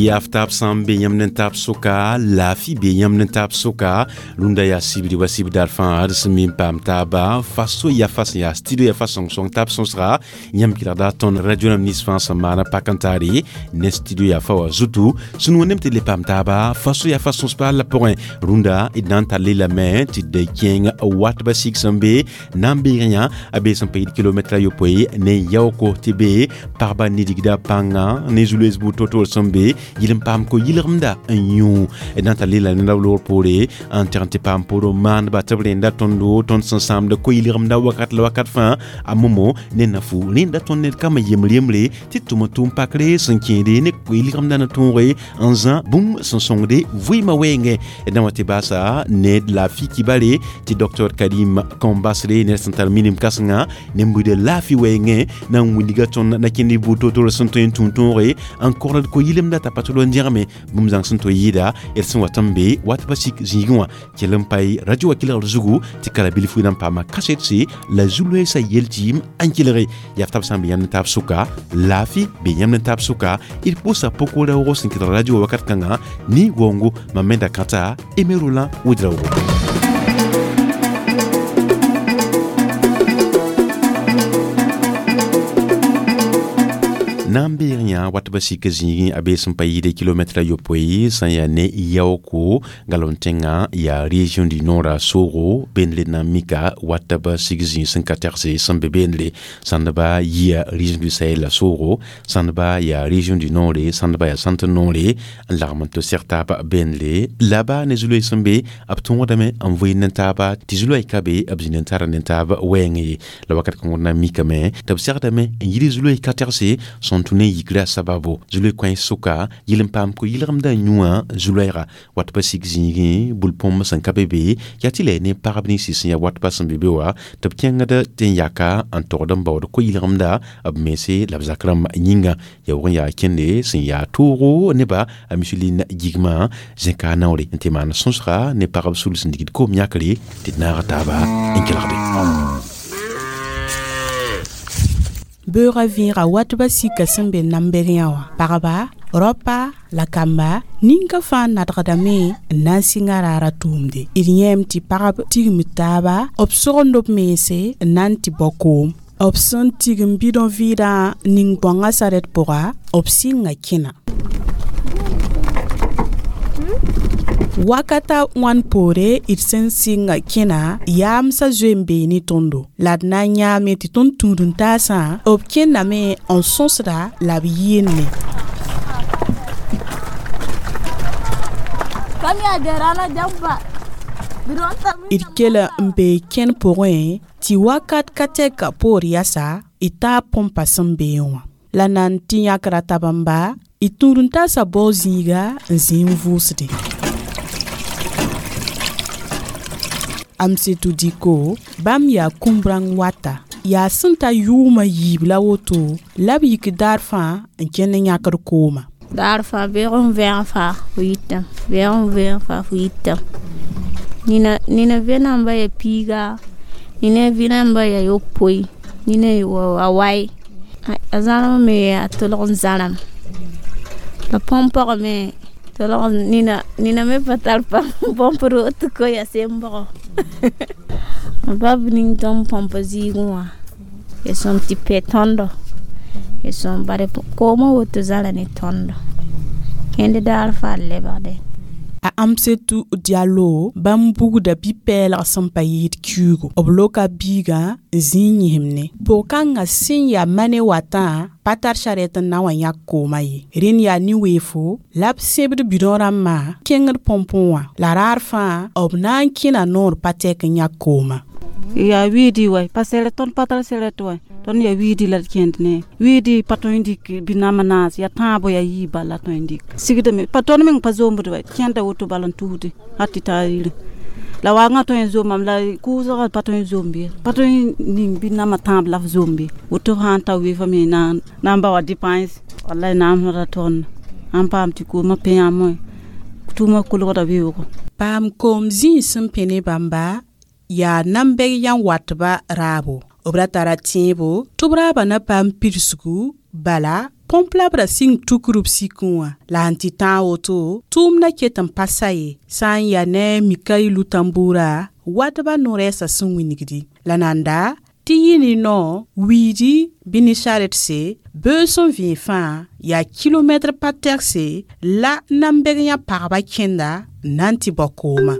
Yaftab sã n be yãmb ne taab sʋka, laafɩ be yãmb ne taab sʋka. Rũndã yaa sibri wa sib daar fãa d sẽn mi n paam taaba faso ya fa sẽn yaa studio ya fa sõng-sõng taab sõsga. Yãmb kelgda tõnd radio rãmb nins fãa sẽn maana pak n taare ne studio ya fa wã zutu. Sũ wẽnnaam tɩ d le paam taaba faso ya fa sõs paal la pʋgẽ. Rũndã d na n tall lame tɩ d kẽeng wat ba sig sẽn be na n beeg yã a be sẽn pa yɩd kilomɛtra yopoe ne yaooko tɩ be pagba nidigda pãnga ne zu-loees buud to-toor sẽn be yɩl n paam ko-yɩlgemda n yũ. D na n tall la ned loor poore n teg n tɩ paam poor n maandba tɩ b rẽnda tõndo tõnd sẽn sãamda ko-yɩlgemda wakat la wakat fãa a momo ne nafu rẽnda tõnd ned kambã yembr yembre tɩ tʋm n tʋʋm pakre sẽn kẽede ne ko-yɩlgemda ne tõoge n zã bũmb sẽn sõngde vɩɩmã wɛɛngẽ. D na wa tɩ baasa ned laafɩ kibare tɩ docteur Karim Kambasre ned sẽn tar minim kãsenga ne buda laafɩ wɛɛngẽ na n wilga tõnd na kẽnd buud to-toor sẽn tõe n tũ tõoge n kogd ko-yɩlemda t'a pa tʋl n dẽgme bũmb zãng sẽn tõe yɩɩda d sẽn wat n be wat pa sik zĩigẽ wã kell n pae radio wã kelgr zugu tɩ kala bilfu na n paama kasetse la zu-loeesã yel-tɩɩm n kelge. Yaftab sã n be yãmb ne taab sʋka, laafɩ be yãmb ne taab sʋka. D pʋʋsa pʋk-raoogo sẽn kelg radio wã wakat kãngã ne waoongo mam me da kãta Aimé Roland Ouedraogo. Na n beeg yã wat ba sik zĩigẽ a bee sẽn pa yɩɩde kilomɛtra yopoe sẽn yaa ne yaooko galem tẽngã yaa région du nord a soogo beenle na n mika wat ba sik zĩig sẽn ka tɛgse sẽn be beenle sãndba yia région du Sahel la soogo sãndba yaa région du nord sãndba yaa centre nord n lagm n tɩ seg taab beenle la ba ne zu-loees sẽn be b tõodame n vɩɩnd ne taaba tɩ zu-loɛɛ ka be b zĩnd n tara ne taab wɛɛngẽ ye la wakat kãngr na n mikame tɩ b segdame n yɩl zu-loees ka tɛgse sẽn tũ ne yikrã sababo zu-loe kãens sʋka yɩl n paam ko-yɩlgemdã yũwã zu-loɛɛga wat pa sik zĩigẽ bul-põmb sẽn ka be be yaa tɩ la ne pagb ninsi sẽn yaa wat pa sẽn be be wã tɩ b kẽngd tɩ n yaka n togd n baood ko-yɩlgemda b mense la b zak rãmb yĩnga yaa wʋg n yaa kẽnde sẽn yaa toogo neba a miselin gigmã zẽka naoore n tɩ maan sõsga ne pagb sul sẽn digd koom yãkre tɩ d naag taaba n kelgde. Beoogã vẽega wat ba sika sẽn be nambeg yã wã pagba rapa la kamba ninka fãa nadgdame n na n sɩnga raara tʋʋmde. D yẽem tɩ pagb tigm taaba b sogend b mense n na n tɩ bao koom. B sẽn tigm bidõ vɩɩdã ning bãongã sarɛt pʋga b sɩnga kẽna. Wakata wãn poore d sẽn sɩnga kẽna yaamsã zoe n bee ne tõndo la d na n yãame tɩ tõnd tũud-n-taasã b kẽndame n sõsda la b yɩɩnne. D kela n bee kẽn pʋgẽ tɩ wakat ka tɛka poor yasa d taa põmpa sẽn beẽ wã la nan tɩ yãkra tab n ba d tũud-n-taasã bao zĩiga n zĩ n vʋʋsde. Amsetu Diko bãmb yaa kũm-rãng wata yaa sẽn ta yʋʋmã yiib la woto la b yik daar fãa n kẽnd n yãkd kooma. Daar fãa beoog n vẽeg fãa fo yitame beoog n vẽeg fãa fo yitame nina nina vẽnamba ya piiga nina vẽnamba ya yopoe nina a wai a zãrem me yaa tʋlg n zãrem la põmpgã me tʋlg nina nina me pa tar põmp roog tɩ ko ya sembgo ba b ning tõnd põmpa zɩɩgẽ wã ya sõm tɩ pɛ tõndo ya sõm bare koomã woto zãra ne tõndo kẽnd daar fãa lebgde. A Amsetu Diallo bãmb bugda bi-pɛɛlg sẽn pa yɩɩd kiuugo b loka biigã n zĩ n yĩsem-ne pʋg-kãngã sẽn yaa mane watã pa tar sarɛt n na wa yãk koomã ye. Rẽnd yaa nin-weefo la b sẽbd bidõ rãmbã kẽngd põmpẽ wã la raar fãa b na n kẽna noor pa tɛk n yãk koomã. Yaa wiidi wɛ pa sɛrɛ tõnd pa tar sɛrɛt wɛ tõnd yaa wiidi la d kẽnd ne wiidi pa tõe n dɩk bi-nama naas yaa tãabo yaa yii bal la tõe n dɩk sigdame pa tõnd meng pa zombd wɛ kẽnda woto bal n tusde hal tɩ taa yire la waagã tõe n zomame la kʋʋsgã pa tõe n zom bɩ pa tõe n ning bi-nama tãab la f zom bɩ woto sã n ta weefame na n ba wa dépense wallay naamsda tõnd sãn paam tɩ koomã pẽ yãmb tʋʋmã kolgda beoogo. Paam koom zĩig sẽn pẽ ne bãmba yaa nambɛg yã watba raabo b ra tara tẽebo tɩ b raabã na paam pidsgu Bala põmp la b ra sɩng tukr b sikẽ wã la sẽn tɩ tãag woto tʋʋmdã ket n pa sa ye. Sã n yaa ne Mikailu Tambura watbã no-rɛɛsã sẽn wingdi la nanda tɩ yɩ ne nao wiidi bɩ ne charetse beoog sẽn vẽeg fãa yaa kilomɛtr pa tɛgse la nambeg yã pagba kẽnda n na n tɩ bao koomã.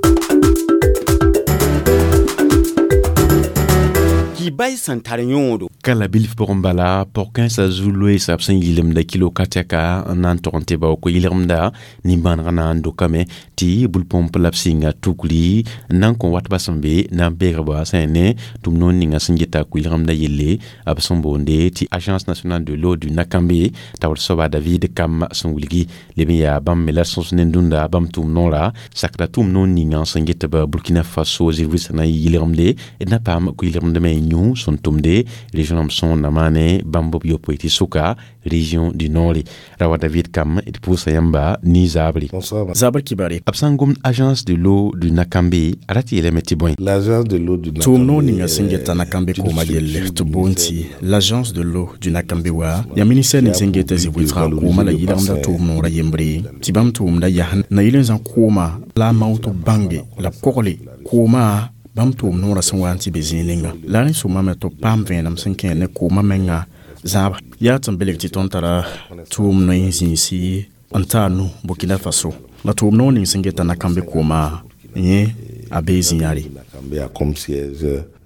Ki-bay sẽn tar yõodo. Kala bilf pʋgẽ bala pɔg-kãensã zu-loeesa b sẽn yɩlemda kilo ka tɛka n na n tog n tɩ bao ko-yɩlgemda nin-bãanegã na n dokame tɩ bul-põmp la b sɩnga tukri n na n kõ watbã sẽn be na n beegba sẽn ne tʋm noor ninga sẽn geta ko-yɩlgemda yelle b sẽn boonde tɩ Agence nationale de l'eau du Nakambe taoor soaba David Kam sẽn wilgi leb n yaa bãmb me la sõs ne dũnda bãmb tʋʋm noora sakda tʋʋm noor ninga sẽn get b Burkina Faso zirwɩsã na n yɩlgemde d na paam ko-yɩlgemdame yũ sẽn tʋmde région rãmb sõor na maane bãmb b yopoe tɩ sʋka région du Nord. Rawa David Kam d pʋʋsa yãmba nin-zaabre. Zabr kibare. B sã n gomd Agence de l'eau du Nakambe a ra tɩ yeelame tɩ bõe. L'agence de l'eau du Tʋʋm noor ninga sẽn geta Nakambe koomã yelle tɩ boond tɩ l'agence de l'eau du Nakambe wa yaa ministère ning sẽn geta zĩ-wɩlsgã koomã la yɩlgemda tʋʋm noorã yembre tɩ bãmb tʋʋmda yaa na yɩl n zã koomã la a mao tɩ b bãnge la b kogle koomã bãmb tʋʋm noorã sẽn wa n tɩ be zĩig ninga la rẽ sõmame tɩ b paam vẽenem sẽn kẽ ne koomã menga zãaba yaa tɩ n belg tɩ tõnd tara tʋʋm noe zĩisi n taa nu Burkina Faso la tʋʋm noor ning sẽn geta Nakambe koomã yẽ a bee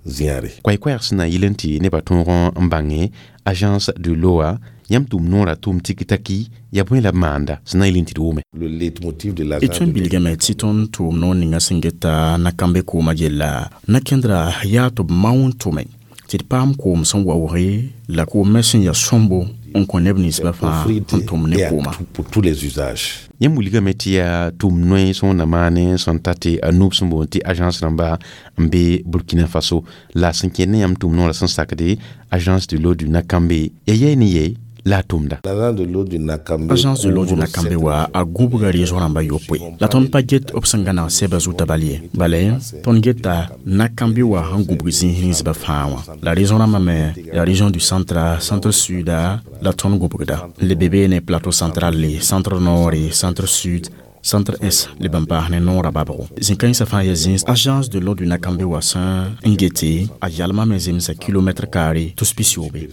Zĩyare. Koɛɛ-koɛɛg sẽn na yɩl n tɩ nebã tõog n bãnge Agence de l'eau yãmb tʋʋm noorã tʋʋm tiki-taki yaa bõe la b maanda sẽn na n yɩl n tɩ d wʋme. D tõe n bilgame tɩ tõnd tʋʋm noor ninga sẽn geta Nakambe koomã yella na-kẽndra yaa tɩ b mao n tʋme tɩ d paam koom sẽn waooge la koom me sẽn yaa sõmbo n kõ neb ninsbã fãa n tʋm ne koomã. Yãmb wilgame tɩ yaa tʋʋm noe sõor na maane sẽn ta tɩ a nub sẽn boond tɩ agence rãmba n be Burkina Faso la sẽn kẽnd ne yãmb tʋʋm noorã sẽn sakde Agence de l'eau du Nakambe ya yɛɛ ne ye la tʋmda. Agence de l'eau du Nakambe wa a gũbga région rãmba yopoe la tõnd pa get b sẽn gãneg sɛbã zuta bal ye bala tõnd geta Nakambe wa sẽn gũbg zĩis ninsbã fãa wã la région rãmbã me la région du centre, centre sud la tõnd gũbgda n le be beene plateau central le centre nord, centre sud, centre est le bãmb paas ne noorã babgo zĩ-kãensã fãa yaa zĩis Agence de l'eau du Nakambe wa sẽn n gete a yalmã me zemsa kilomètre carré tus pisiobe.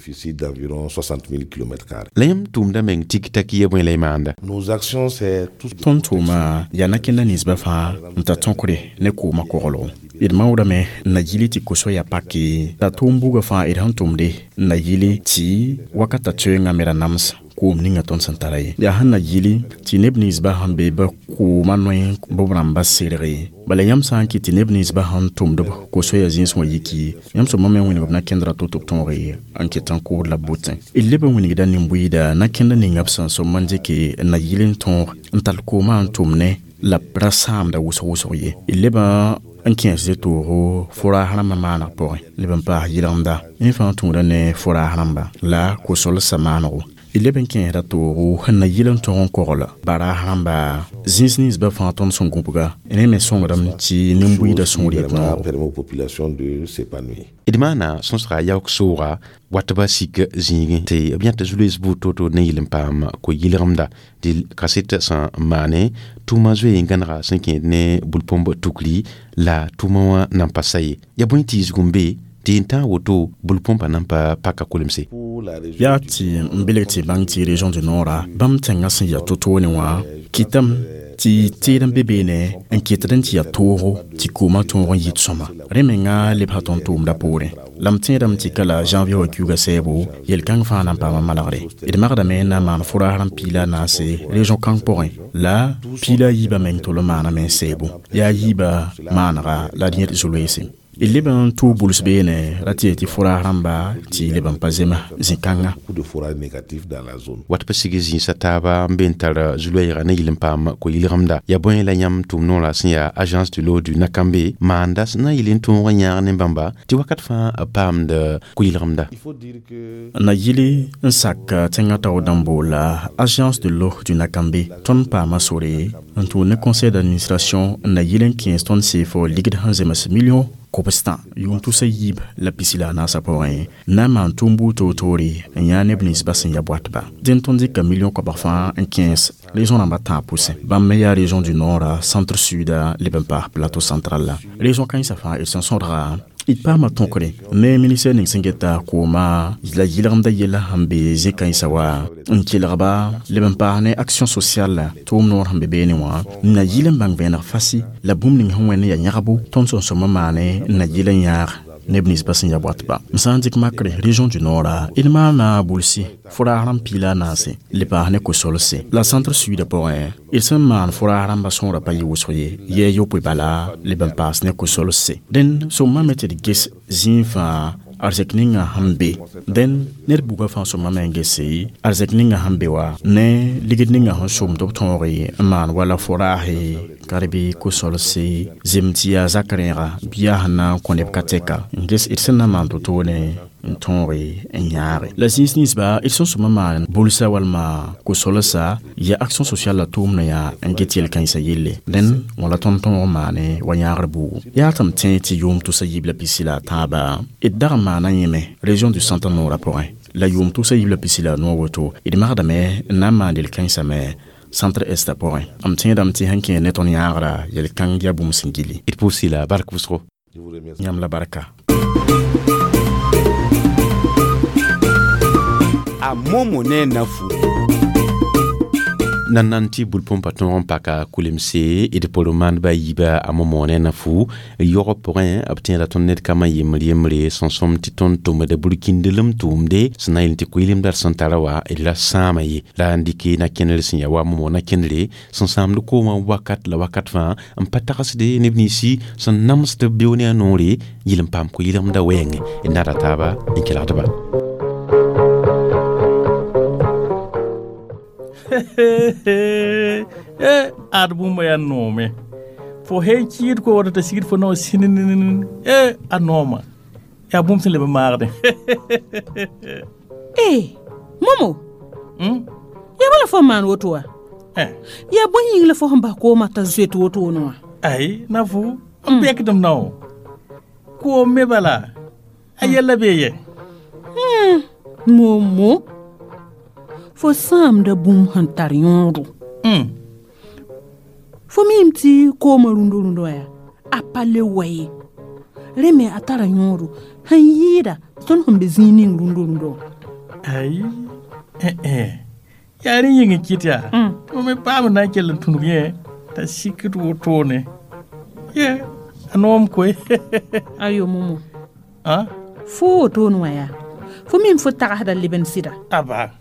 La yãmb tʋʋmda meng tik-taki ya bõe la y maanda. Tõnd tʋʋma yaa na-kẽnda ninsbã fãa n ta tõkre ne koomã koglgo d maoodame n na yɩl tɩ ko-soaya pake la tʋʋm buga fãa d sẽn tʋmde n na yɩle tɩ wakata toeengã me ra nams koom ninga tõnd sẽn tara ye yaa sẽn na yɩle tɩ neb ninsbã sẽn be ba koomã noe b rãmba serge bala yãmb sã n kɩt tɩ neb ninsbã sẽn tʋmd b ko-soaya zĩis wã yiki yãmb sõma me wĩneg b na-kẽndra to tɩ b tõoge n ket n kʋʋd la b botẽ d leb n wĩnegda nin-buiida na-kẽnda ninga b sẽn sõm n dɩke n na yɩl n tõog n tall koomã n tʋm ne la b ra sãamda wʋsg-wʋsg ye d leb n kẽesd toogo foraas rãmbã maaneg pʋgẽ leb n paas yɩlgemda yẽ fãa tũuda ne foraas rãmba la ko-solsã maanego d leb n kẽesda toogo sẽn na yɩl n tõg n kogl baraas rãmba zĩis ninsbã fãa tõnd sẽn gũbga rẽ me sõngdame tɩ nin-buiidã sũur yet noogo. D maana sõsga yaook sooga watbã sik zĩigẽ tɩ b yãta zu-loees buud to-to ne yɩl n paam ko-yɩlgemda dɩ kaset sẽn maane tʋʋma zoe n gãnega sẽn kẽed ne bul-põmb tukri la tʋʋma wã nan pa sa ye yaa bõe tɩ yisg n be tɩ n tãag woto bul-põmpã nan pa paka kolemse. Yaa tɩ n belg tɩ bãng tɩ région du Nord bãmb tẽngã sẽn yaa to-toone wã kɩtame tɩ teed n be beene n ketd n tɩ yaa toogo tɩ koomã tõog n yit sõma rẽ menga lebsa tõnd tʋʋmda poorẽ la m tẽedame tɩ ka la janvier wã kiuga sɛɛbo yel-kãng fãa na n paama malgre d magdame n na n maan foraas rãmb piila a naase région kãng pʋgẽ la piila a yiibã meng tol n maaname n sɛɛbo yaa yiibã maanega la d yẽd zu-loeese d leb n tʋʋg buls beene ra tɩ tɩ foraas rãmba tɩ leb n pa zema zĩ-kãnga. Wat pa sig zĩisa taaba n be n tar zu-loɛɛga ne yɩl n paam ko-yɩlgemda yaa bõe la yãmb tʋʋm noorã sẽn yaa Agence de l'eau du Nakambe maanda sẽn na n yɩl n tõog n yãag ne bãmba tɩ wakat fãa b paamd ko-yɩlgemda. Na yɩl n sak tẽngã taoor dãmb boola Agence de l'eau du Nakambe tõnd paama sore n tʋʋd ne conseil d'administration n na yɩl n kẽes tõnd seefo ligd sẽn zems million Kobstã yʋʋm tusa yiib la pisi la a naasã pʋgẽ na n maan tʋʋm buud toor-toore n yã neb ninsbã sẽn ya boatba. Dẽn tõnd dɩka million koabg fãa n kẽes région rãmbã tãab pʋsẽ. Bãmb me yaa région du nord, centre sud leb n paas plateau central la. Région kãensã fãa d sẽn sõdga d paama tõkre ne ministère ning sẽn geta kooma la yɩlgemda yella sẽn be zẽ-kãensã wa n kelgba leb n paas ne action sociale tʋʋm noor sẽn be beene wã n na yɩl n bãng vẽeneg fasi la bũmb ning sẽn wẽnd n yaa yãgbo tõnd sẽn sõma maane n na yɩl n yãag neb ninsbã sẽn ya boatba. M sã n dɩk makre région du nord d maana bulsi fʋraas rãmb piila a naase le paas ne ko-solse la centre sud pʋgẽ d sẽn maan fʋraas rãmbã sõora pa yɩ wʋsg ye yɛɛ yopoe bala leb n paas ne ko-solse. Dẽn sõmame tɩ d ges zĩig fãa arzɛk ninga sẽn be. Dẽn ned buga fãa sõmame n gese arzɛk ninga sẽn be wa ne ligd ninga sẽn somd b tõoge n maan wala fʋraase karbi ko-solse zem tɩ yaa zak rẽega bɩ yaa sẽn na n kõ neb ka tɛka n ges d sẽn na n maan to-toore n tõoge n yãage. La zĩis ninsba d sẽn sõma maan bulsa walma ko-solsa ya action sociale la tʋʋmdã yaa n get yel-kãensã yelle. Dẽn wã la tõnd tõog maane wa yãagr buugu. Yaa tɩ m tẽ tɩ yʋʋm tʋsa yiib la pisi la a tãaba d dag n maana yẽme région du centre noorã pʋgẽ la yʋʋm tʋsa yiib la pisi la a noor woto d magdame n na n maan yel-kãensã me centre est pʋgẽ. M tẽedame tɩ sẽn kẽ ne tõnd yãagra yel-kãng yaa bũmb sẽn gilli. D pʋʋs la bark wʋsgo. Yãmb la barka. A momo ne na fu. Nan nan tɩ bul-põmpa tõog n paka kulemse d pʋr maandbã yiiba a momo ne na fu yɔgb pʋgẽ b tẽeda tõnd ned kambã yembr yembre sẽn sõm tɩ tõnd tʋmda burkĩndlem tʋʋmde sẽn na n yel tɩ koeelemdã d sẽn tara wa d ra sãama ye la n dɩk na-kẽner sẽn ya wa momo na-kẽnere sẽn sãamd koomã wakat la wakat fãa n pa tagsde neb ninsi sẽn namsd b beo ne a noore yɩl n paam ko-yɩlemdã wɛɛngẽ d nada taaba n kelgdba. Ad bũmba yaa noome fo sẽn kɩɩd ko wata t'a sigd fo nao sĩnn a nooma yaa bũmb sẽn leb n maagdẽ. E momo yaa bala fo n maan woto wa yaa bõe yĩng la fo sẽn bas koomã t'a zoet wotone wã. Ai na fu n pekdem nao koom me bala a yɛlla bee yɛ. Momo fo sãamda bũmb sẽn tar yõodo. Fo miime tɩ koomã rũndo-rũndã wã yaa a pa le wa ye rẽ me a tara yõodo sẽn yɩɩda tõnd sẽn be zĩig ning rũndo-rũndã wã. Ai yaa rẽ yĩng n kɩt yaa tɩ me paam n na n kell n tũnug yẽ t'a sikd wotone ye a noom koe. Ayo momo fo wotone wã yaa fo miime fo tagsda leb n sɩda. Aba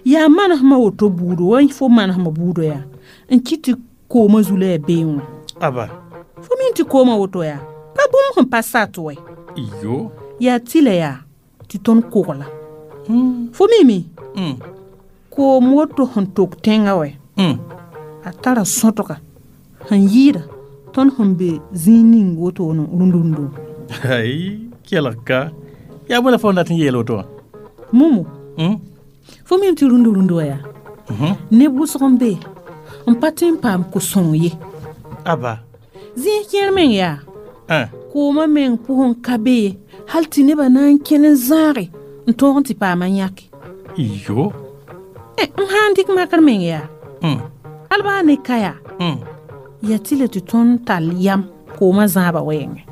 yaa manesmã woto buudo wa fo manesmã buudo yaa n kɩt tɩ koomã zu la yaa beẽ wã. Aba fo miime tɩ koomã woto yaa pa bũmb sẽn pa sat wɛ. Iyo yaa tɩla yaa tɩ tõnd kogla. Fo miime koom woto sẽn tok tẽngã wɛ a tara sõtga sẽn yɩɩda tõnd sẽn be zĩig ning wotone rũnd-rũndã. Ai kelg ka yaa bõe la fo n dat n yeel woto wã. Momo fo miime tɩ rũnd-rũndã wã yaa neb wʋsg n be n pa tõe n paam ko-sõng ye. Aba zĩig kẽer meng yaa koomã meng pʋgẽ ka be ye hal tɩ nebã na n kẽn n zãage n tõog n tɩ paama yãke. Iyo m sã n dɩk makr meng yaa hal baa ne ka yaa yaa tɩ la tɩ tõnd tall yam koomã zãabã wɛɛngẽ.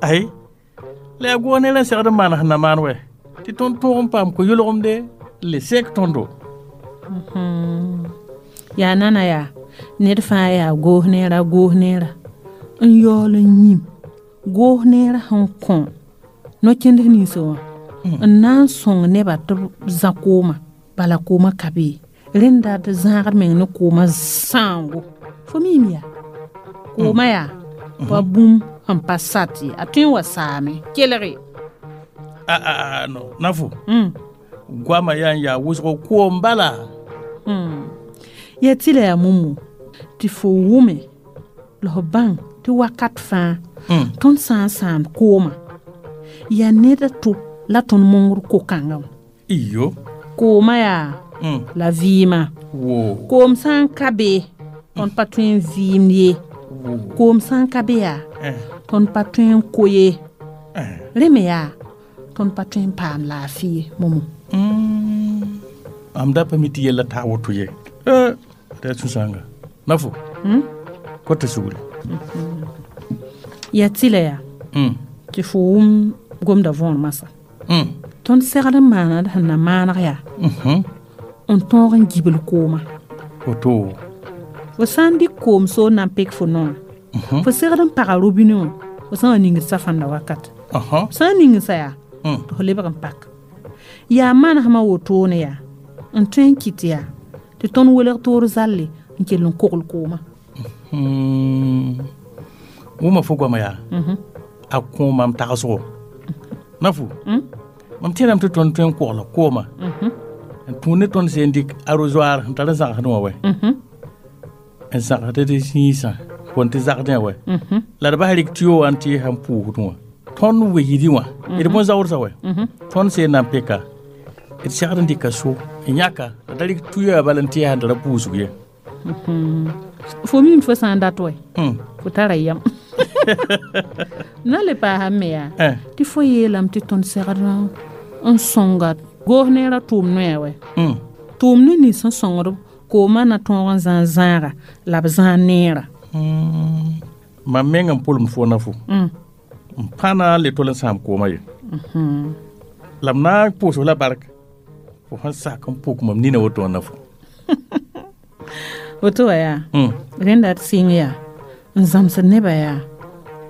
Ai la yaa goog ne rã segd n maan sẽn na maan wɛ tɩ tõnd tõog n paam ko-yʋlgemde le sek tõndo. Yaa nana yaa ned fãa yaa goos neera goos neera n yaool n yĩm goos neerã sẽn kõ no-kẽnd ninsã wã n na n sõng nebã tɩ b zã koomã bala koomã ka be rẽnda d zãagd meng ne koomã sãango. Fo miime yaa koomã yaa pa bũmb sẽn pa sat ye a tõe n wa saame kelge. A no na fo goamã yaa n yaa wʋsgo koom bala. Yaa tɩ la yaa momo tɩ fo wʋme la f bãng tɩ wakat fãa tõnd sã n sãamd koomã yaa ned a to la tõnd mongr ko-kãngã wã. Iyo koomã yaa la vɩɩmã koom sã n ka be tõnd pa tõe n vɩɩmd ye. Koom sã n ka be yaa, tõnd pa tõe n ko ye. Rẽ me yaa, tõnd pa tõe n paam laafɩ ye, Momo. Mam da pa mi tɩ yella taa woto ye. D yaa sũ-sãanga. Nafo, kota sugri. Yaa tɩlɛ yaa, tɩ fo wʋm gomda võor masã. Tõnd segd n maana d sẽn na maaneg yaa, n tõog n gibl koomã. Woto. Fo sã n dɩk koom soor na n pek fo noã, fo segd n paga robine wã, fo sã n wa ningd safãnda wakat. Sã n ning sa yaa, tɩ fo lebg n pak. Yaa manesmã wotone yaa, n tõe n kɩt yaa, tɩ tõnd welg toor zalle n kell n kogl koomã. Wʋma fo goama yaa, a kõ mam tagsgo. Nafo, mam tẽedame tɩ tõnd tõe n kogla kooma, n tũud ne tõnd sẽn dɩk arrosoir n tar n zãgsdẽ wã wɛ, n zãgsd d zĩisã kõn tɩ zagdẽ wɛ, la d bas rɩk tuyo wã n tɩ sãn pʋʋsdẽ wã. Tõnd wegdi wã, d bõn-zaoodsa wɛ, tõnd sẽn na n peka, d segd n dɩka so n yãka, la da rɩk tuyo bala n tɩ sãn tara pʋʋsg ye. Fo mim fo sã n dat wɛ, fo tara yam. Na le paasame me yaa, tɩ fo yeelame tɩ tõnd segd n sõnga goos neerã tʋʋm noya wɛ. Tʋʋm ne nins sẽn sõngd koomã na tõog n zãag zãaga la b zãag neerã. Mam meng n pʋlem fo na fo. N pa na n le tol n sãam koomã ye. La m na n pʋʋs la bark, fo sẽn sak n pʋk mam nina woto wã na fo. Woto wã yaa, rẽnda d sɩng yaa, n zãmsd nebã yaa,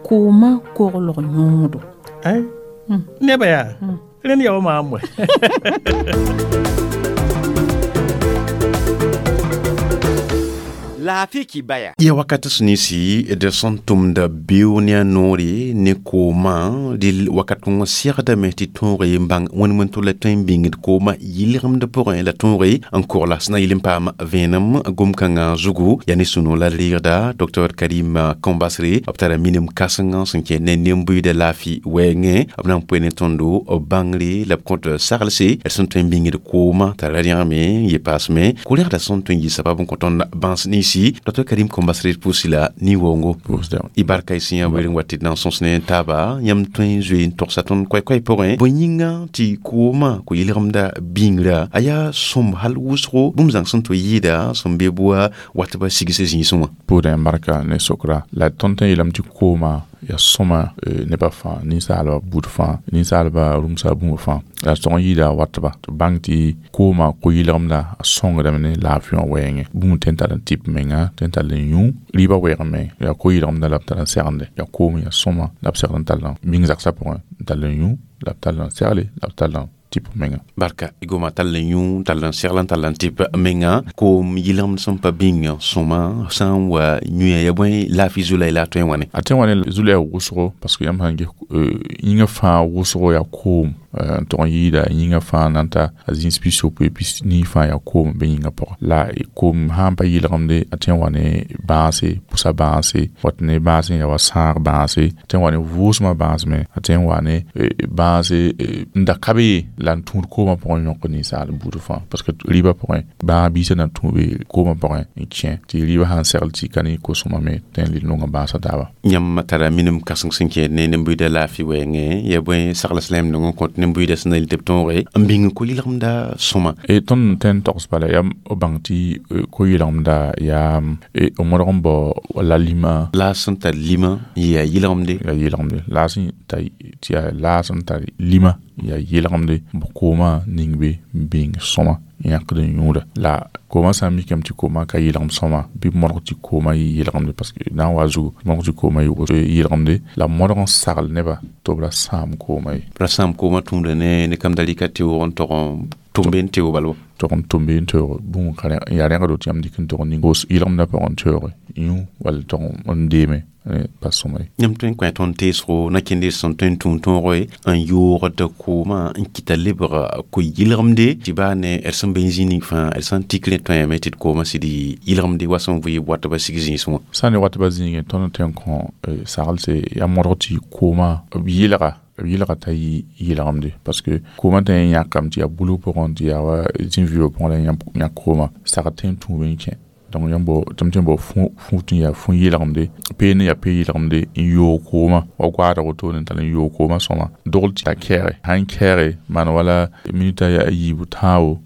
koomã koglg yõodo. Nebã yaa, rẽnd yaa wa maam wɛ. Laafɩ kibaya. Ya wakat sẽn ninsi d sẽn tʋmda beoog ne a noore ne koomã, dɩl wakat wã segdame tɩ tõoge n bãng wẽnd wẽn la tõe n bĩngd koomã yɩlgemd pʋgẽ la tõoge n kogla sẽn na yɩl n paam vẽenem gom-kãngã zugu. Yaa ne sũ-noog la reegda Dr Karim Kambasre, b tara minim kãsengã sẽn kẽ ne nen-buiidã laafɩ wɛɛngẽ. B na n poe ne tõndo bãngre la b kõt saglse d sẽn tõe n bĩngd koomã t'a ra rẽgame n ye paasme ko-rẽgda sẽn tõe n yɩ sabab n kõ tõnd bãns ninsi. Dr Karim Kambasre pʋʋsi la nin-waoongo. Y barka y sẽn yaa weer n wa tɩ d na n sõs ne taaba yãmb tõe n zoe n togsa tõnd koɛ-koɛɛ pʋgẽ. Bõe yĩnga tɩ koomã ko-yɩlgemda bĩngrã a yaa sõm hal wʋsgo bũmb zãng sẽn tɩ yɩɩda sẽn be bʋa watba sigs zĩisẽ wã. Pʋʋdẽ barka ne sokra la tõnd tõe n yeelame tɩ koomã yaa sõma nebã fãa, ninsaalbã buud fãa, ninsaalbã rũmsa bũmb fãa, la tog n yɩɩda watba tɩ bãng tɩ koomã ko-yɩlgemda a sõngdame ne laafɩ wã wɛɛngẽ. Bũmb tõe n tar n tɩp menga, tõe n tall n yũ rɩɩbã wɛɛgame, yaa ko-yɩlgemda la b tar n segende. Yaa koom yaa sõma la b segd n tall n bĩng zagsã pʋgẽ, n tall n yũ, la b tall n segle, la b tall n tɩp menga. Barka goma tall n yũ, tall n segl n tall n tɩp menga. Koom yɩlgemd sẽn pa bĩng sõma sã n wa yũya ya bõe laafɩ zulay la a tõe n wãne? A tõe n wa ne zulaya wʋsgo, parce que yãmb sãn ges yĩngã fãa wʋsgo yaa koom, n tog n yɩɩda yĩngã fãa na n ta a zĩis 69 90 fãa yaa koom be yĩngã pʋgẽ. La koom sã n pa yɩlgemde, a tõe n wa ne bãase, pʋsa bãase, wat ne bãase n yaa wa sãag bãase, a tõe n wa ne vʋʋsmã bãas me, a tõe n wa ne bãase n da ka be ye la n tũud koomã pʋgẽ n yõk ninsaal buud fãa, parce que rɩɩbã pʋgẽ bãag biisã na tũ be koomã pʋgẽ n kẽ tɩ rɩɩbã sã n segl tɩ ka ne ko-sõma me tõe n le nonga bãasã taaba. Yãmb tara minim kãseng sẽn kẽed ne nen-buiidã laafɩ wɛɛngẽ, yaa bõe sagls la yãmb nong n kõt nen-buiidã sẽn na yɩl tɩ b tõoge n bĩng ko-yɩlgemda sõma? Tõnd tõe n togs bala yaa b bãng tɩ ko-yɩlgemda yaa b modg n bao la lima. Laas sẽn tar lima yaa yɩlgemde. Yaa yɩlgemde. Laas sẽn tar tɩ yaa laas sẽn tar lima yaa yɩlgemde b koomã ning be n bĩng sõma yãkd n yũuda. La koomã sã n mikame tɩ koomã ka yɩlgem sõma bɩ modg tɩ koomã yɩ yɩlgemde, parce que na n wa zugu modg tɩ koomã yɩ yɩlgemde, la modg n sagl nebã tɩ b ra sãam koomã ye. Ra sãam koomã tũuda ne kam da rɩka teoog n tog n tʋmbe n teoog bala Tog n tʋmbe n teoog bũmb ka yaa rẽgdo tɩ yãmb dɩk n tog n ning yɩlgemdã pʋgẽ n teooge yũ wall tog n deeme pa sõma ye. Yãmb tõe n kõ tõnd teesgo na kẽnd sẽn tõe n tũud tõoge n yoogd koomã n kɩta lebg ko-yɩlgemde tɩ baa ne d sẽn be n zĩ ning fãa d sã n tik rẽ tõeame tɩ d koomã sɩd yɩlgemde wa sẽn vɩ watba sig zĩisẽ wã. Sã n ne watba zĩigẽ tõnd tõe n kõ saglse yaa modg tɩ koomã b yɩlga t'a yɩ yɩlgemde, parce que koomã tõe n yãkame tɩ yaa bulg pʋgẽ tɩ yaa wa zĩn-vɩɩbã pʋgẽ la yãk koomã sagd tõe n tũub n kẽ. Donc yãmb bao tɩ m tɩ n bao fũ tɩ yaa fũ yɩlgemde peen yaa pe yɩlgemde n yoog koomã wa goaadg wotone n tall n yoog koomã sõma dogl tɩ a kɛɛge sãn kɛɛge maan wala minita yaa a yiibu tãabo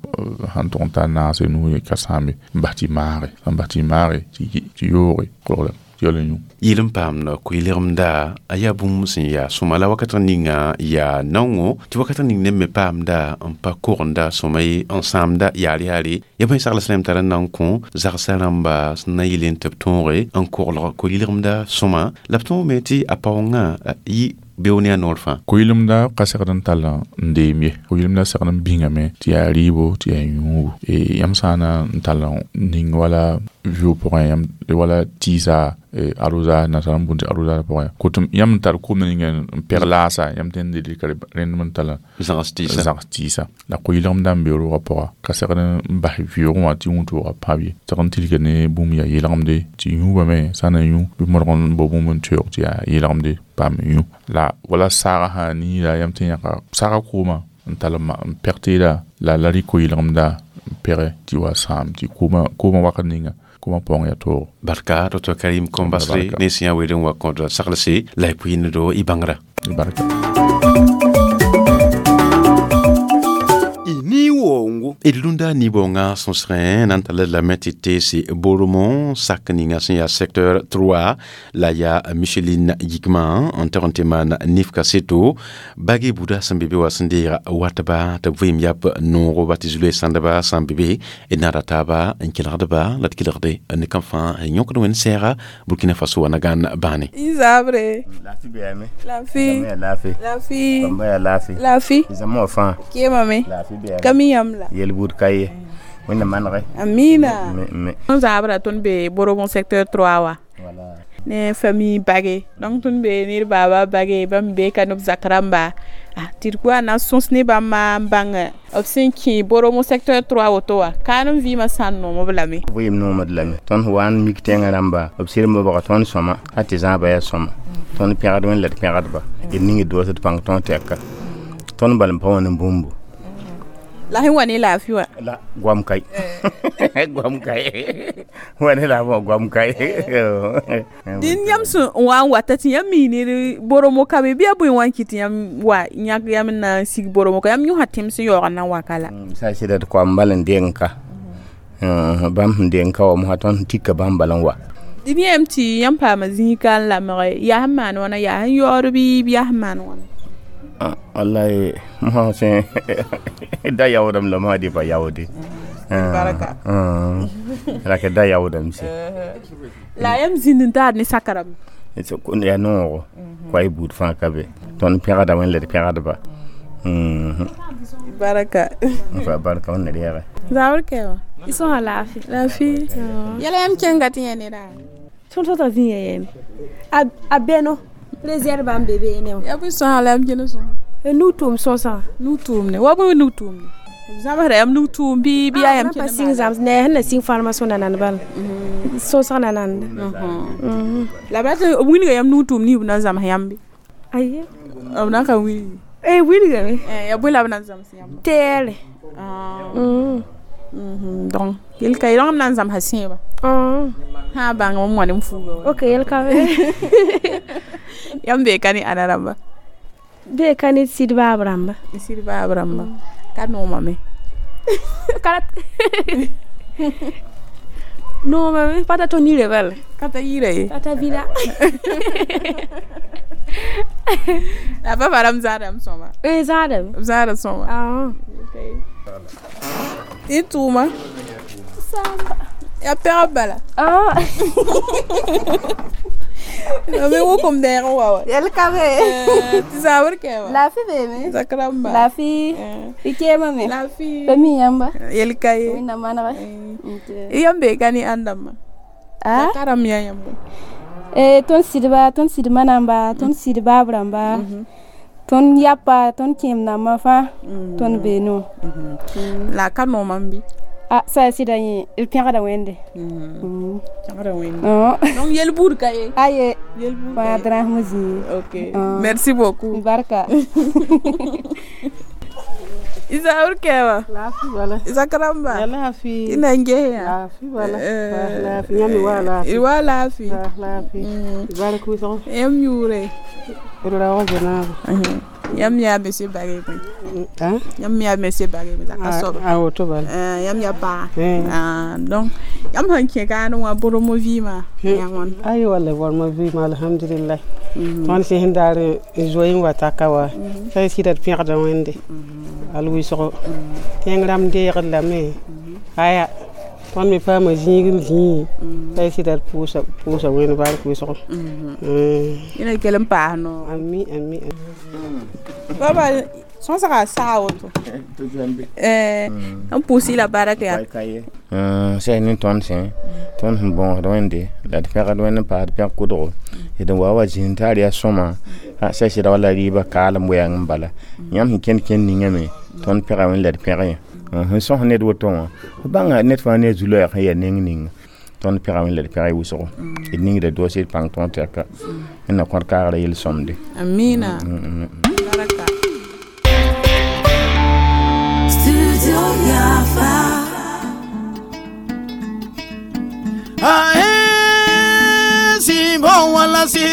sãn tʋg n tar naase nuu ka sãambe n bas tɩ maage sãn bas tɩ maage tɩ yooge kolgda yɛl n yũ. Yɩl n paamd koe-legemda a yaa bũmb sẽn yaa sõma la wakat ninga yaa naongo tɩ wakat ning neb me paamda n pa kogenda sõma ye n sãamda yaar yaare ya bõe sagl sẽn tar n na n kõ zagsã rãmba sẽn na n yɩl n tɩ b tõoge n koglg koe-legemda sõma la b tõogame tɩ a paoongã yɩ beoog ne a noor fãa. Ko-yɩlemda ka segd n tall n deem ye, ko-yɩlemda segd n bĩngame tɩ yaa rɩɩbo tɩ yaa yũubu. Yãmb sã n na n tall n ning wala vɩʋʋg pʋgẽ yãmb wala tɩɩsa arosage nasaar n boond tɩ arosage pʋgẽ kotem yãmb n tar koom ninga n pɛg laasa yãmb tõe n dɩka rẽndem n tall zãgs tɩɩsa. Zãgs tɩɩsa la ko-yɩlemda n be roogã pʋga ka segd n bas vɩʋʋgẽ wã tɩ wũtooga pãb ye segd n tilga ne bũmb yaa yɩlgemde tɩ yũubame sã n na yũ bɩ modg n bao bũmb n teoog tɩ yaa yɩlgemde paam yũ la wala saagã sã niida yãmb tɩ yãka saagã koomã n tall n pɛg teeda la rɩk ko-yɩlemda n pɛgɛ tɩ wa sãam tɩ koomã wakat ninga koomã paoong yaa toogo. Barka Dr Karim Kombasre ne sẽn yaa weel n wa kõd saglse la y pʋɩɩned y bãngrã. Barka. Ni-woongo. D rũndã ni-boongã sõsgẽ na n tall lame tɩ teese Boromõ sak ninga sẽn yaa secteur 3 la yaa Micheline Yikmã n tog n tɩ maan nif kaseto bagi buda sẽn be be wa sẽn deega watba tɩ b vɩɩm yap noogo ba tɩ zulue sãndba sã n be be d naada taaba n kelgdba la d kelgde ne kam fãa yõkd wẽnd sɛɛga Burkina Faso wã na gãan bãane. Zabre. Lafi bɛame. Lafi. Lafi. Lafi. Bãmba yaa lafi. Lafi. Zãma wã fãa. Kemame. Lafi bɛame. Ka mi yãmb la. Yel-buud ka ye. Wẽnnaam manege. Amina. Me. Tõnd zaabra tõnd be Boromõ secteur 3 wã. Voilà. Ne famille bage. Donc tõnd be ned baaba bage bãmb be ka neb zak rãmba. Ah, tɩ d wa na n sõs ne bãmba n bãng b sẽn kẽ Boromõ secteur 3 woto wã kaan n vɩɩmã sã n noom b lame. Vɩɩm noomd lame. Tõnd wa n mik tẽngã rãmba b sɩrem bga tõnd sõma a tɩ zãaba yaa sõma. Tõnd pẽgd wẽnd la d pẽgdba. D ning d doos d pãng tõog tɛka. Tõnd bal n pa wã ne bũmbu. La sẽn wa ne laafɩ wã. La goam kai. Goam kai. Wa ne la goam kai. Dĩn yãmb sẽn wa n wata tɩ yãmb mi ned Boromõ ka be bɩ yaa bõe n wa n kɩt tɩ yãmb wa yãk yãmb n na n sig Boromõ ka yãmb yõsa tẽms n yaoog n na n wa ka la. Sã n sɩda d koam bal n deng ka. Bãmb sẽn deng ka wa mosã tõnd sẽn tika bãmb bal n wa. Dĩn yãmb tɩ yãmb paama zĩig ka n lamge yaa sẽn maan wãna yaa sẽn yaood bɩ yaa sẽn maan wãna. Wallahi mosã sẽn da yaoodame la mosã dɩ pa yaoode. Barka. Rake da yaoodame sẽ. La yãmb zĩnd n taad ne saka rãmb. Yaa noogo koa y buud fãa ka be. Tõnd pẽgda wẽnd la d pẽgdba. Barka. Fa barka wẽnna reege. Zabr kɛ wã. Y sõsa laafɩ. Laafɩ. Yɛla yãmb kẽnga tɩ yẽ neda. Tõnd sota zĩ ya yɛme. A bɛno réserve n be beene wã. Ya bõe sõsa la yãmb kẽnd sõsa. Nug-tʋʋm sõsã. Nug-tʋʋmne wa bõe nug-tʋʋmne. B zãmsda yãmb nug-tʋʋm bɩ yaa yãmb pa sɩng zãms ne sẽn na sɩng formation nanand bala. Sõsg nananda. La b rat b wilga yãmb nug-tʋʋm nins b na n zãms yãmb be. Aye. B na n ka wilgi. Eh wilgame. Ya bõe la b na n zãms yãmb? Teere. Donc yel ka ye rãmb na n zãmsa sẽebã. Sã n bãng m wã ne m fuuga wa. Ok yel ka be. Yãmb bee ka ne ãnna rãmba? Bee ka ne sɩd baab rãmba. Sɩd baab rãmba. Ka noomame. Ka noomame pa ta tõnd yire bala. Ka ta yira ye. Ka ta vida. La pa rãmb zaadame sõma. Eh zaadame. B zaada sõma. Tɩ tʋʋma. Samba. Yaa pɛgb bala. Me wokom dɛɛg n wa wa. Yel ka be. Tɩ zabr kɛ wã. Laafɩ beeme. Zak rãmba. Laafɩ. Y keemame. Laafɩ. Pa mi yãmba. Yel ka ye. Wẽnnaam manege. Yãmb bee ka ne ãn dãmba? Ka rãmb yaa yãmb. Tõnd sɩdba, tõnd sɩdmã namba, tõnd sɩd baab rãmba. Tõnd yapa, tõnd kẽem nambã fãa tõnd bee no. La ka noomam bɩ? Ah, sã sɩda yẽ d pẽgda wẽnde. Pẽgda wẽnde. Donc yel buud ka ye. Aye. Yel buud ka ye. Drãsem zĩig. Ok. Merci beaucoup. Barka. Isaur kewa. Lafi wala. Isakaramba. Lafi. Ina ngehe ya. Lafi wala. Lafi nyami wa lafi. Wa lafi. Lafi. Barku so. Yam yure. Ura wa janabu. Yam ya monsieur Barry. Hein? Yam ya monsieur Barry zaka so. Ah woto bala. Yam ya pa. Ah donc yam han ke ga no wa boromo vima. Ya won. Ay wala boromo vima alhamdulillah. Tõnd sẽn daar n zoe n wa taka wa t'a sɩda d pẽgda wẽnde al wɩsgo tẽng rãmb deegd lame aya tõnd me paama zĩig n zĩi t'a sɩda d pʋʋsa wẽnd bark wɩsgo. Yẽna kell n paas no. Ami ami. Baba sõsga saa woto. N pʋʋs la bark yaa. Sɛ ne tõnd sẽ tõnd sẽn bõosd wẽnde la d pẽgd wẽnd n paasd pẽg kʋdgo d wa wa zĩnd t'a yaa sõma sã sɩda wala rɩɩbã kaalem wɛɛng n bala yãmb sẽn kẽnd kẽnd ningame tõnd pẽga wẽnd la d pẽg yẽ sẽn sõs ned woto wã fo bãnga ned fãa ne a zu-loɛɛg sẽn yaa neng ninga tõnd pẽga wẽnd la d pẽg wʋsgo d ningda doos d pãng tõog tɛka n na kõt kaagrã yel-sõmde. Amina. Studio Yafa. Ae simbo wala si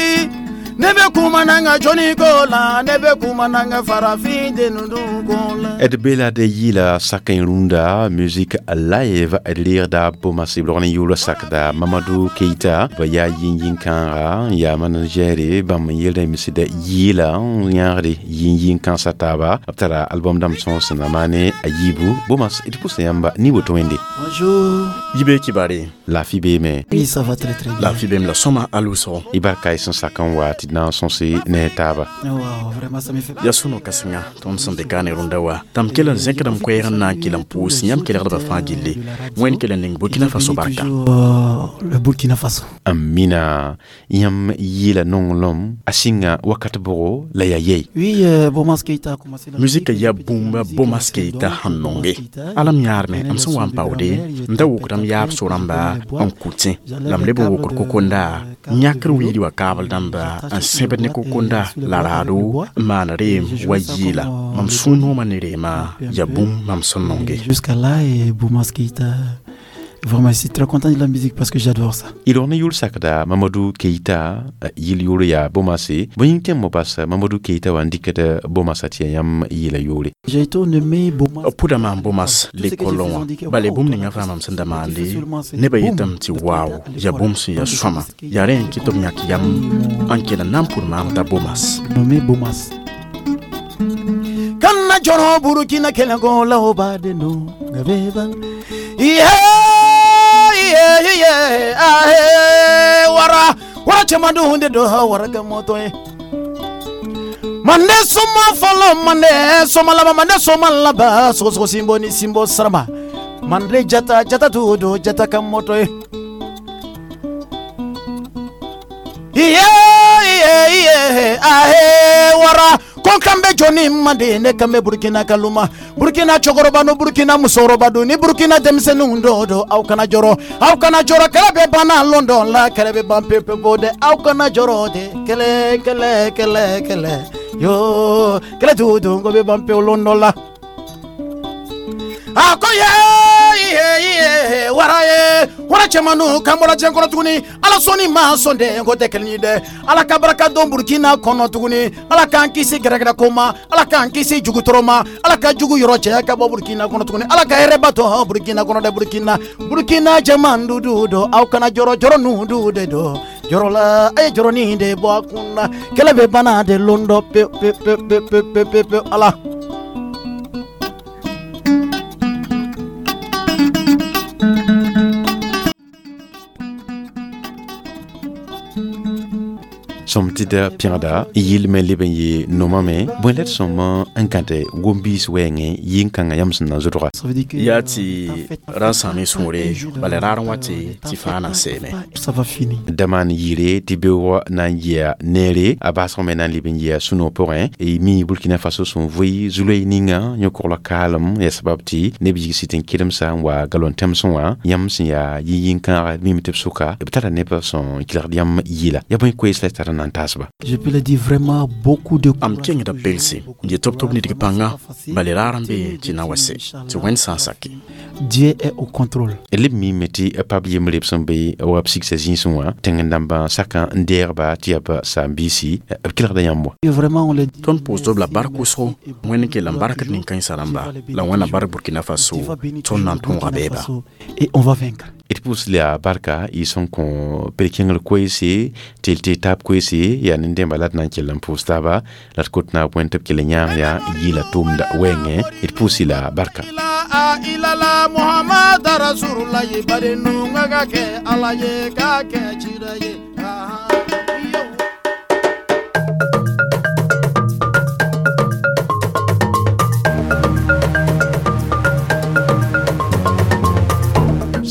ne bɛ kuma n'an ka jɔnni ko la ne bɛ kuma n'an ka farafin den ko la. D bela de yila sakin runda musique live d leerda Bomas b log ne yʋʋla sakda Mamadou Keita ba yaa yĩn-yĩn kãaga n yaa managɛre bãmb n yeelda misda yɩɩla n yãagde yĩn-yĩn kãnsã taaba b tara album dãmb sõs sẽn na maane a yiibu Bomas d pʋsa yãmba ni woto wẽnde. Bonjour. Yibe kibare. Lafi beeme. Oui, ça va très très bien. Lafi beem la sõma al wʋsgo. Y barka y sẽn sak n wa tɩ d na n sõse ne taaba. Wow, vraiment ça me fait Ya sũno kãsenga tõnd sẽn be kaane rũndã wa tãmb kell n zẽkdame koɛɛg n na n kell n pʋʋs yãmb kelgdbã fãa gilli wẽnd kell n ning Burkina Faso barka. Le Burkina Faso. Amina yãmb yɩɩla nonglem a sɩnga wakat bʋgo la yaa yɛi. Oui, Bomas Keita a commencé la Musika ya bũmba Bomas Keita sẽn nonge alam yãadme m sẽn wa n paoode n da wokdame yaab so-rãmba n kʋtẽ la m leb n wokd kokonda yãkr wiidi wa kaabl dãmba n sẽbd ne kokonda la raado n maan reem wa yɩɩla mam sũur noomã ne reema ya bũmb mam sẽn nonge. Jusqu'à là, et Bomas Keita, vraiment, je suis très content de la musique parce que j'adore ça. Y log ne yʋʋl sakda Mamadou Keita yɩl yʋʋr yaa Bomase bõe yĩng tẽm bas Mamadou Keita wa n dɩkd Bomasa tɩ yaa yãmb yɩɩla yʋʋre. J'ai été nommé Bomas. Pʋda maan Bomas lekol wã bala bũmb ninga fãa mam sẽn da maande nebã yetame tɩ waaw yaa bũmb sẽn yaa sõama yaa rẽ n kɩ tɩ b yãk yam n kell n na n pʋd maam t'a Bomas. Nommé Bomas. Kana jɔrɔ Burkina kɛlɛko la o b'a den don beba. Iye iye iye ahe wara wara cɛman dun de don wara kɛ mɔtɔ ye. Mande soma fɔlɔ mande soma laban mande soma laban sogosogo sinbo ni sinbo sarama mande jata jata tu don jata ka mɔtɔ ye. Iye iye iye ahe wara ko kan bɛ jɔnni mande ne kan bɛ Burkina kaluma Burkina cɛkɔrɔba no Burkina musokɔrɔba don ni Burkina denmisɛnninw dɔw don aw kana jɔrɔ aw kana jɔrɔ kɛlɛ bɛ banna lon dɔ la kɛlɛ bɛ ban pewu pewu dɛ aw kana jɔrɔ de kɛlɛ kɛlɛ kɛlɛ kɛlɛ yo kɛlɛ t'u don ko bɛ ban pewu lon dɔ la. A ko ye iye iye wara ye wara cɛmannu kan bɔra diɲɛ kɔnɔ tuguni ala sɔnni ma sɔn dɛ ko tɛ kelen ye dɛ ala ka baraka don Burkina kɔnɔ tuguni ala k'an kisi gɛrɛgɛrɛ ko ma ala k'an kisi jugutɔrɔ ma ala ka jugu yɔrɔ cɛ ka bɔ Burkina kɔnɔ tuguni ala ka hɛrɛ ba to Burkina kɔnɔ dɛ Burkina Burkina jɛman dudu don aw kana jɔrɔ jɔrɔ nu du de don jɔrɔ la a ye jɔrɔnin de bɔ a kun na kɛlɛ bɛ banna de lon dɔ pewu pewu pewu pewu pewu pewu pewu ala. Sõm tɩ da pẽgda yɩl me leb n yee nomame bõe la d sõm n kãte gom-biis wɛɛngẽ yĩn-kãngã yãmb sẽn na zʋdga. Yaa tɩ ra n sãam sũure bala raar n wa tɩ fãa na n seeme. Ça va finir. Da maan yɩɩre tɩ beoogã na n yɩa neere a baasg me na n leb n yɩa sũ-noog pʋgẽ y mi Burkina Faso sẽn vʋɩ zu-loe ninga yõ-kogla kaalem yaa sabab tɩ neb yigs tɩ n kelemsa n wa galon tẽmsẽ wã yãmb sẽn yaa yĩn-yĩn-kãaga mime tɩ b sʋka b tara neb sẽn kelgd yãmb yɩɩla yaa bõe koees la tara sẽn na n taasba. Je peux le dire, vraiment beaucoup de Am kẽngda pelse n yet tɩ b tʋb nidg pãnga bala raar n be tɩ na wa se tɩ Wẽnd sã n sake. Dieu est au contrôle. Leb mime tɩ pab yembre b sẽn be wa b sigsa zĩisẽ wã tẽng-dãmbã sakã n deegba tɩ yaa b saam-biisi b kelgda yãmb wa. Et vraiment, on le dit. Tõnd pʋʋsd b la bark wʋsgo. Wẽnd kell n barkd nin-kãensã rãmba la Wẽnna bark Burkina Faso tõnd na n tõoga bɛɛba. Et on va vaincre. D pʋʋs la barka y sẽn kõ ped-kẽngr koeese tɩ tɩ taab koeese yaa nin-dẽmba la d na n kell n pʋʋs taaba la d kot naab wẽnd tɩ b kell n yãag yaa yɩɩla tʋʋmda wɛɛngẽ. D pʋʋs la barka. Ilala Muhammad Rasulullah bari nunga ka kɛ Ala ye ka kɛ cira ye.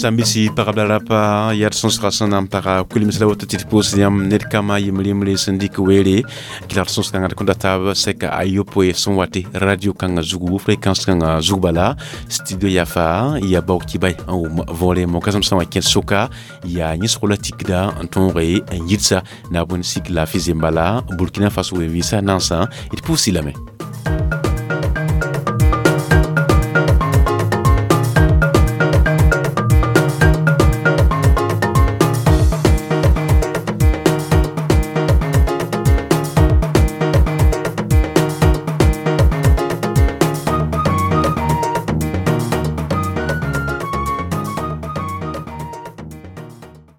Sambisi pagb la rapa yaa d sõsga sẽn na n paga kuilems la woto tɩ d pʋʋs yãmb ned kama yembre yembre sẽn dɩk weere kelgd sõs-kãngã d kõn da taab sɛka a yopoe sẽn wa tɩ radio kãngã zugu, fréquence kãngã zug bala studio yafa ya baoog kibay n wʋm võore mokasem sã n wa kẽd soka yaa yẽsg la tikda n tõoge n yidsa naab wẽnd sik laafɩ zembala Burkina Faso wen-vɩɩsã nansã. D pʋʋs lame.